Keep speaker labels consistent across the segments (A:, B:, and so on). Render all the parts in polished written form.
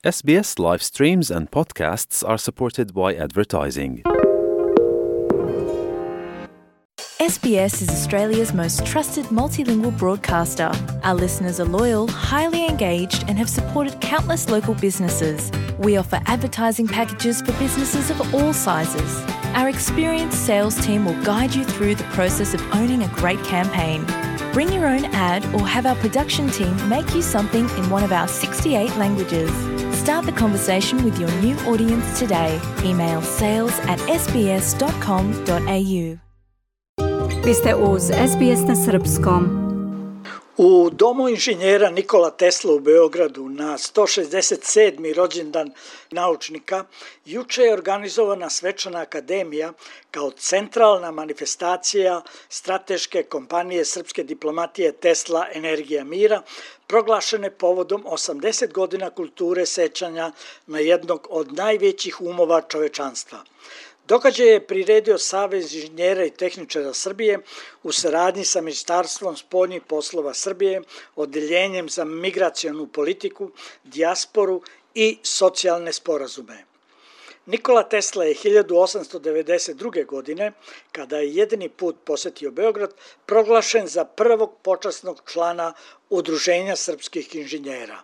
A: SBS live streams and podcasts are supported by advertising.
B: SBS is Australia's most trusted multilingual broadcaster. Our listeners are loyal, highly engaged, and have supported countless local businesses. We offer advertising packages for businesses of all sizes. Our experienced sales team will guide you through the process of owning a great campaign. Bring your own ad or have our production team make you something in one of our 68 languages. Start the conversation with your new audience today. Email sales@sbs.com.au.
C: Vi ste uz SBS na srpskom.
D: U Domu inženjera Nikola Tesla u Beogradu na 167. rođendan naučnika juče je organizovana svečana akademija kao centralna manifestacija strateške kompanije srpske diplomatije Tesla Energija mira, proglašene povodom 80 godina kulture sećanja na jednog od najvećih umova čovečanstva. Događaj je priredio Savez inženjera i tehničara Srbije u saradnji sa Ministarstvom spoljnih poslova Srbije, Odeljenjem za migracionu politiku, dijasporu i socijalne sporazume. Nikola Tesla je 1892. godine, kada je jedini put posetio Beograd, proglašen za prvog počasnog člana Udruženja srpskih inženjera.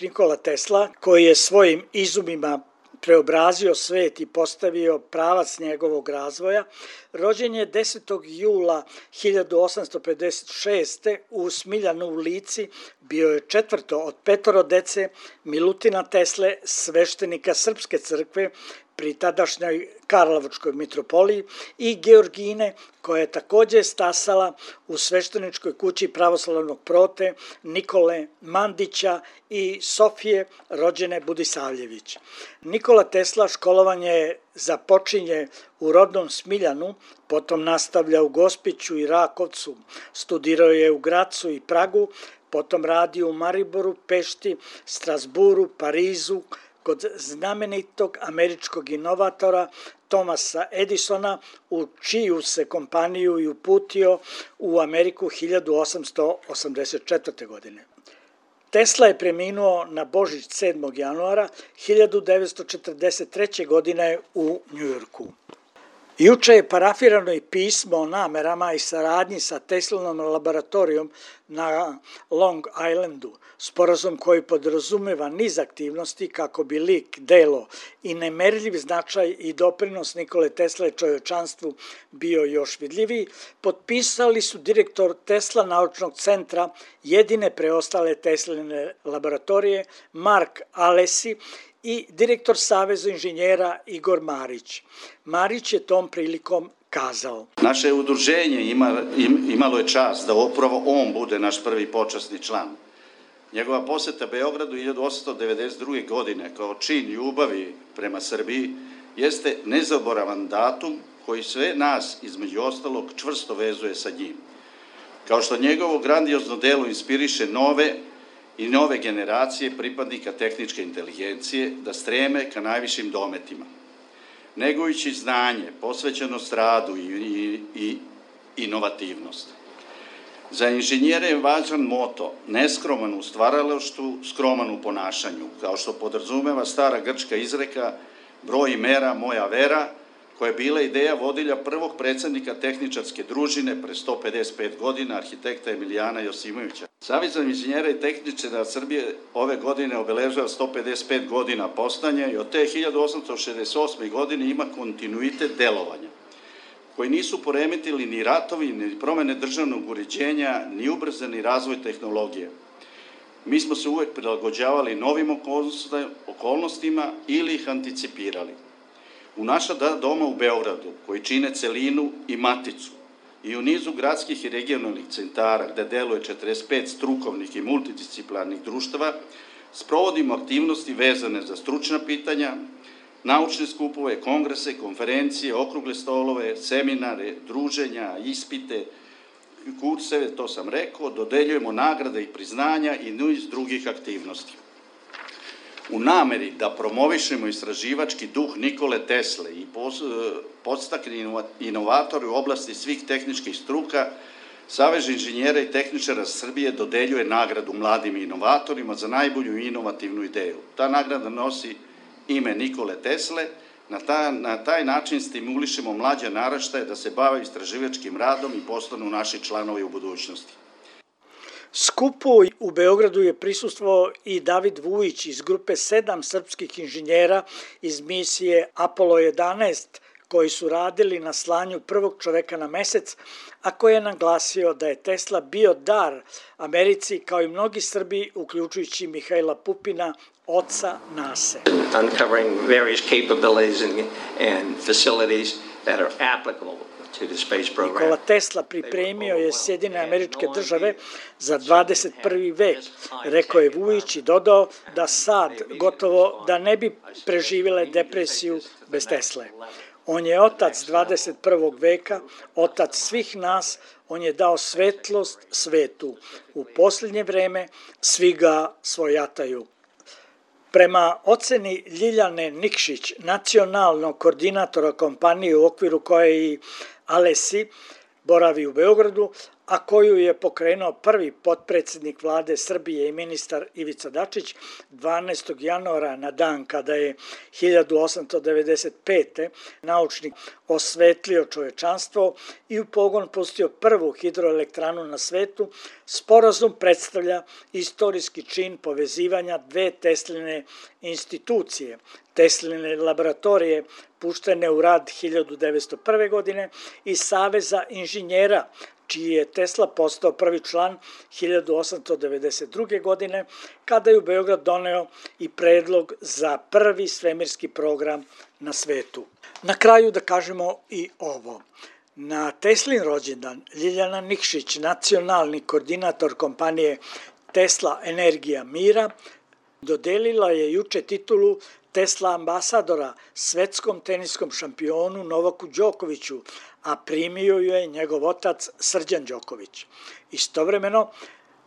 D: Nikola Tesla, koji je svojim izumima preobrazio svet i postavio pravac njegovog razvoja, rođen je 10. jula 1856. u Smiljanu u Lici, bio je četvrto od petoro dece Milutina Tesle, sveštenika Srpske crkve pri tadašnjoj Karlovačkoj mitropoliji, i Georgine, koja je također stasala u svešteničkoj kući pravoslavnog prote Nikole Mandića i Sofije, rođene Budisavljević. Nikola Tesla školovanje započinje u rodnom Smiljanu, potom nastavlja u Gospiću i Rakovcu, studirao je u Gracu i Pragu, potom radi u Mariboru, Pešti, Strasburu, Parizu, kod znamenitog američkog inovatora Thomasa Edisona, u čiju se kompaniju i uputio u Ameriku 1884. godine. Tesla je preminuo na Božić 7. januara 1943. godine u Njujorku. Juče je parafirano i pismo o namerama i saradnji sa Teslanom laboratorijom na Long Islandu, sporazum koji podrazumeva niz aktivnosti kako bi lik, delo i nemerljiv značaj i doprinos Nikole Tesle čovječanstvu bio još vidljiviji, potpisali su direktor Tesla naučnog centra, jedine preostale Tesline laboratorije, Mark Alesi, i direktor Saveza inženjera Igor Marić. Marić je tom prilikom kazao:
E: Naše udruženje imalo je čast da upravo on bude naš prvi počasni član. Njegova poseta Beogradu 1892. godine kao čin ljubavi prema Srbiji jeste nezaboravan datum koji sve nas, između ostalog, čvrsto vezuje sa njim. Kao što njegovo grandiozno delo inspiriše nove generacije pripadnika tehničke inteligencije da streme ka najvišim dometima. Negujući znanje, posvećenost radu i inovativnost. Za inženjere je važan moto, neskroman u stvaralaštvu, skroman u ponašanju, kao što podrazumeva stara grčka izreka broj i mera moja vera, koja je bila ideja vodilja prvog predsjednika tehničarske družine pre 155 godina, arhitekta Emilijana Josimovića. Savez inženjera i tehničara Srbije ove godine obeležava 155 godina postojanja i od te 1868. godine ima kontinuitet delovanja, koji nisu poremetili ni ratovi, ni promene državnog uređenja, ni ubrzani razvoj tehnologije. Mi smo se uvek prilagođavali novim okolnostima ili ih anticipirali. U naša doma u Beogradu, koji čine celinu i maticu, i u nizu gradskih i regionalnih centara, gde deluje 45 strukovnih i multidisciplinarnih društava, sprovodimo aktivnosti vezane za stručna pitanja, naučne skupove, kongrese, konferencije, okrugle stolove, seminare, druženja, ispite, kurseve, to sam rekao, dodeljujemo nagrade i priznanja i niz drugih aktivnosti. U nameri da promovišemo istraživački duh Nikole Tesle i podstakne inovatore u oblasti svih tehničkih struka, Savez inženjera i tehničara Srbije dodeljuje nagradu mladim inovatorima za najbolju inovativnu ideju. Ta nagrada nosi ime Nikole Tesle. Na taj način stimulišemo mlađe naraštaje da se bave istraživačkim radom i postanu naši članovi u budućnosti.
D: Skupu u Beogradu je prisustvovao i David Vujić iz grupe 7 srpskih inženjera iz misije Apollo 11, koji su radili na slanju prvog čoveka na mesec, a koji je naglasio da je Tesla bio dar Americi kao i mnogi Srbi, uključujući Mihajla Pupina, oca NASA.
F: Uncovering various capabilities and facilities that are applicable to the space program.
D: Nikola Tesla pripremio je Sjedinjene Američke Države za 21. vek, rekao je Vujić i dodao da sad gotovo da ne bi preživjele depresiju bez Tesle. On je otac 21. veka, otac svih nas, on je dao svetlost svetu. U posljednje vreme svi ga svojataju. Prema oceni Ljiljane Nikšić, nacionalnog koordinatora kompanije u okviru koje i Alesi boravi u Beogradu, a koju je pokrenuo prvi potpredsjednik vlade Srbije i ministar Ivica Dačić 12. januara na dan kada je 1895. naučnik osvetlio čovečanstvo i u pogon pustio prvu hidroelektranu na svetu, sporazum predstavlja istorijski čin povezivanja dve Tesline institucije, Tesline laboratorije puštene u rad 1901. godine i Saveza inženjera, čiji je Tesla postao prvi član 1892. godine, kada je u Beograd doneo i predlog za prvi svemirski program na svetu. Na kraju da kažemo i ovo. Na Teslin rođendan Ljiljana Nikšić, nacionalni koordinator kompanije Tesla Energija mira, dodelila je juče titulu Tesla ambasadora svetskom teniskom šampionu Novaku Đokoviću, a primio ju je njegov otac Srđan Đoković. Istovremeno,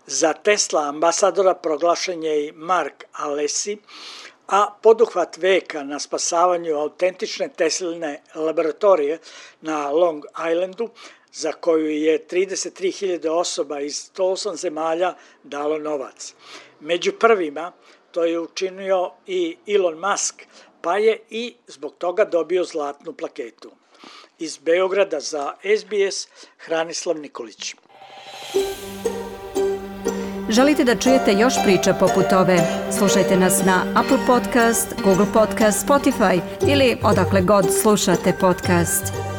D: za Tesla ambasadora proglašen je i Mark Alesi, a poduhvat veka na spasavanju autentične Tesline laboratorije na Long Islandu, za koju je 33.000 osoba iz 108 zemalja dalo novac. Među prvima to je učinio i Elon Musk, pa je i zbog toga dobio zlatnu plaketu. Iz Beograda za SBS, Hranislav Nikolić.
C: Želite da čujete još priča poput ove? Slušajte nas na Apple Podcast, Google Podcast, Spotify ili odakle god slušate podcast.